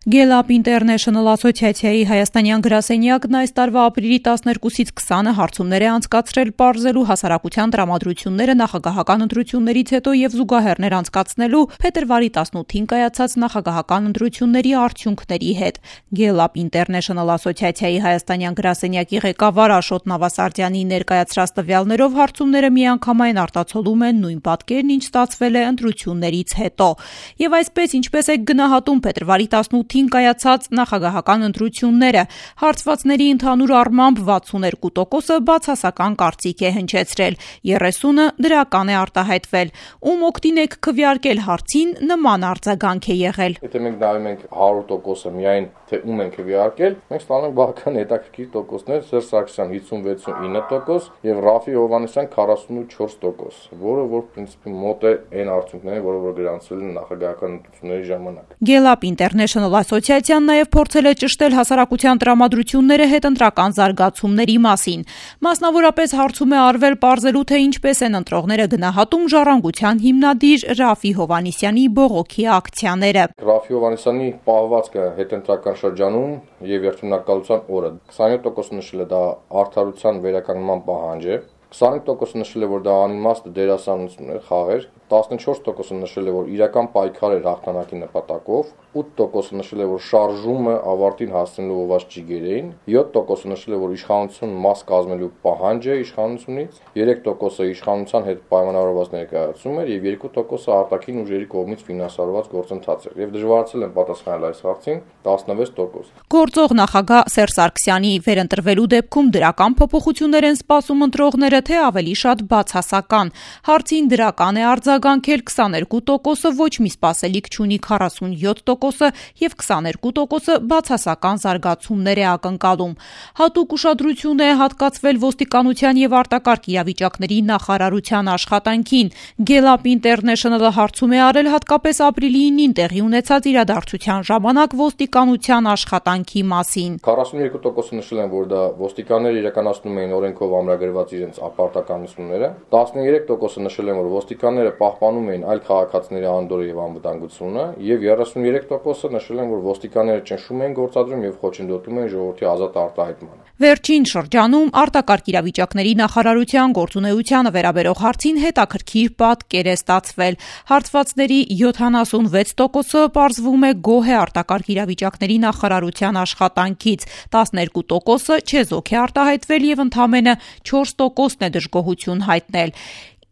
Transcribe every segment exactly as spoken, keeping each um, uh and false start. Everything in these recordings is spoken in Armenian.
Գելապ Ինտերնեշնլ ասոցիացիայի հայաստանյան գրասենյակն այս տարվա ապրիլի տասներկուսից քսանը հարցումներ է անցկացրել պարզելու հասարակության տրամադրությունները նախագահական ընտրություններից հետո եւ զուգահեռներ անցկացնելու փետրվարի տասնութին կայացած նախագահական ընտրությունների արդյունքների հետ։ Գելապ Ինտերնեշնլ ասոցիացիայի հայաստանյան գրասենյակի ղեկավար Աշոտ Նավասարդյանի ներկայացրած տվյալներով հարցումները միանգամայն արտացոլում են նույն պատկերն, ինչ ստացվել է ընտրություններից հետո։ Եվ այսպես, ինչպես է գնահատում փետրվարի տասնութին կայացած նախագահական ընտրությունները, հարցվածների ընդհանուր առմամբ վաթսուններկու տոկոսը բացասական կարծիք է հնչեցրել, երեսունը դրական է արտահայտվել։ Ում օգտին եք քվեարկել հարցին, նման արձագանք է եղել։ Եթե մենք նայում ենք հարյուր տոկոսը միայն թե ում ենք քվեարկել, մենք ստանում ենք բավական հետաքրքիր տոկոսներ՝ Սերժ Սարգսյան հիսուն վեցուինը տոկոս եւ Ռաֆֆի Հովհաննիսյան քառասունուչորս տոկոս, որը որ պրինցիպի մոտ է այն արդյունքներին, որը որ գրանցվել են նախագահական ընտրությունների ժամանակ։ Գելապ Ինտերնեշնլ ասոցիացիան նաև փորձել է ճշտել հասարակության տրամադրությունները հետընտրական զարգացումների մասին։ Մասնավորապես հարցում է արվել պարզելու, թե ինչպես են ընտրողները գնահատում ժառանգության հիմնադիր Ռաֆֆի Հովհաննիսյանի բողոքի ակցիաները։ Ռաֆֆի Հովհաննիսյանի պահվածքը հետընտրական շրջանում եւ երթունակալության օրը քսանյոթ տոկոս նշել է դա արդարության վերականգնման պահանջ է, քսանհինգ տոկոս նշել է, որ դա անիմաստ դերասանություն է, խաղեր, տասնչորս տոկոս նշել է, որ իրական պայքար էր հաղթանակի նպատակով, ութ տոկոս նշել է, որ շարժումը ավարտին հասնելու ով ճիգերին, յոթ տոկոս նշել է, որ իշխանություն մաս կազմելու պահանջ է իշխանությունից, երեք տոկոսը իշխանության հետ պայմանավորված ներկայացում էր եւ երկու տոկոսը արտաքին ուժերի կողմից ֆինանսավորված գործընթաց էր եւ դժվարացել են պատասխանել այս հարցին տասնվեց տոկոս։ Գործող նախագահ Սերժ Սարգսյանի վերընտրվելու դեպքում դրական փոփոխություններ են սպասում ընտրողները, թե ավելի շատ բացասական։ Հարցին դրական է արձագանքել քսաներկու տոկոսը, ոչ մի սպասելիք չունի քառասունյոթ տոկոսը եւ քսաներկու տոկոսը բացասական զարգացումներ է ակնկալում։ Հատուկ ուշադրություն է հատկացվել ոստիկանության եւ արտակարգ իրավիճակների նախարարության աշխատանքին։ Գելապ Ինտերնեշնլը հարցում է արել հատկապես ապրիլի ինին տեղի ունեցած իրադարձության ժամանակ ոստիկանության աշխատանքի մասին։ քառասունյոթ տոկոսը նշել են, որ դա ոստիկանները իրականացնում էին օրենքով ամրագրված իրենց ապարտականությունները, տասներեք տոկոսը նշել են, որ ոստիկանները պահպանում էին այլ քաղաքացիների անդորրը եւ անվտանգությունը, եւ երեսունյերեք տոկոսը նշել են, որ ոստիկանները ճնշում էին գործադրում եւ խոչընդոտում էին ժողովրդի ազատ արտահայտմանը։ Վերջին շրջանում արտակարգ իրավիճակների նախարարության գործունեությանը վերաբերող հարցին հետաքրքիր պատկեր է ստացվել։ Հարցվածների յոթանասունվեց տոկոսը պարզվում է գոհ է արտակարգ իրավիճակների նախարարության աշխատանքից, տասներկու տոկոսը չեզոք է արտահայտվել եւ ընդամենը չորս տոկոսն է դժգոհություն հայտնել։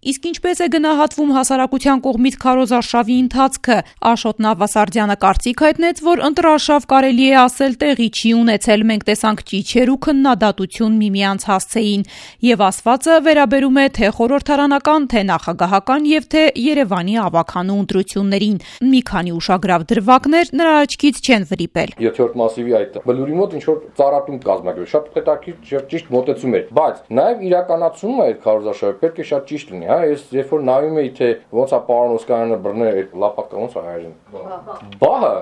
Իսկ ինչպես է գնահատվում հասարակության կողմից քարոզարշավի ընթացքը, Աշոտ Նավասարդյանը կարծիք հայտնեց, որ ընտրարշավ կարելի է ասել տեղի չի ունեցել, մենք տեսանք ճիչեր ու քննադատություն միմյանց հասցեին, եւ ասվածը վերաբերում է թե խորհրդարանական, թե նախագահական եւ թե Երևանի ավագանու ընտրություններին։ Մի քանի ուշագրավ դրվագներ նրա աչքից չեն վրիպել։ Յոթերորդ մասիվի այդ բլուրի մոտ ինչ որ ծառատում կազմակերպել, շատ հետաքրքիր ճիշտ մոտեցում էր, բայց նաեւ իրականացումը այդ քարոզարշավը պետք է շատ ճիշտ լինի։ Ես երբ որ նայում էի, թե ոնց է պարոն Օսկանյանը բռնել այդ լապատկա, ոնց է այժմ։ Բահը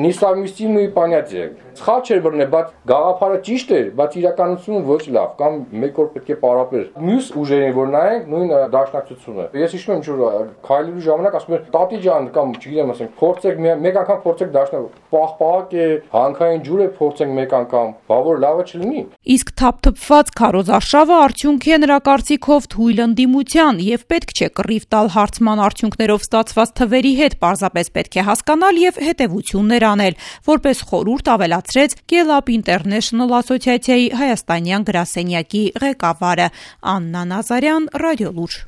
նիսամիստիմի понятие։ Սխալ չէր բռնել, բայց գաղափարը ճիշտ էր, բայց իրականությունը ոչ լավ, կամ մեկ օր պետք է պարապեր։ Մյուս ուժերին որ նայենք, նույն դաշնակցությունը։ Ես հիշում եմ, որ քայլելու ժամանակ ասում էր տատի ջան կամ չգիտեմ, ասենք, փորձեք մեկ անգամ փորձեք դաշնակ, պահպահակ է, հանքային ջուր է, փորձենք մեկ անգամ, բա որ լավը չլինի։ Իսկ թափթփված քարոզարշավը արդյունք է նրա կարծիքով թույլ ընդդիմության եւ պետք չէ կռիվ տալ հարցման արդյունքներով ստացված թվերի հետ, պարզապես պետք է հասկանալ եւ հետեւություններ անել, որպես խորհուրդ ավելացրեց Գելապ Ինտերնեշնլ ասոցիացիայի հայաստանյան գրասենյակի ղեկավարը Աննա Նազարյան, Ռադիոլուր։